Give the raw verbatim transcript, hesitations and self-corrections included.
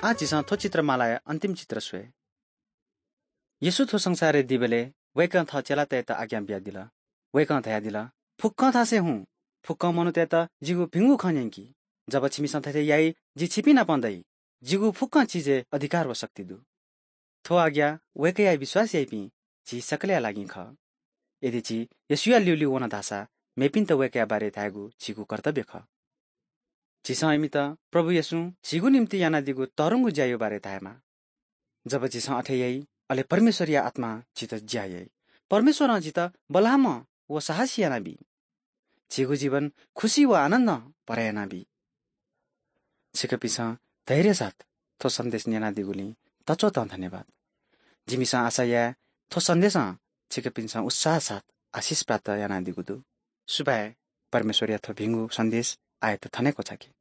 आः झीसं थ्व चित्रमालाया अन्तिम चित्र स्वये। येशू थ्व संसारय् दीबलय् वय्कलं थः चेलातय्त आज्ञा बियादिल। वय्कलं धयादिल, "फुक्कं थासय् हुँ, फुक्कं मनूतय्त जिगु भिंगु खँ न्यंकि। जब छिमिसं थथे याइ, जि छिपिं नाप दइ। जिगु फुक्कं चिजय् अधिकार व शक्ति दु।" थ्व आज्ञा वय्कःया विश्वास याइपिं झी सकलया लागि खः। यदि झी येशूया ल्यूल्यू वन धाःसा मेपिन्त वय्कःया बारे धायेगु झीगु कर्तव्य खः। झीसं इमित प्रभु येशूं झीगु निंतिं यानादीगु तःधंगु ज्याया बारे धायेमाः। जब झीसं अथे याइ, अले परमेश्वरया आत्मां झीत ज्या याइ। परमेश्वरं झीत बल्लाःम्ह व साहसी यानाबी। झीगु जीवन खुसी व आनन्दं भरा यानाबी। छिकपिन्सं धैर्य साथ थ्व सन्देश न्यनादीगुलिं तच्वतं धन्यवाद। जिमिसं आशा याये थ्व सन्देशं छिकपिन्सं उत्साह साथ आशिष प्राप्त यानादीगु दु। सुभाय्, परमेश्वरया थ्व भिंगु सन्देश आःयात थन हे क्वचाकी।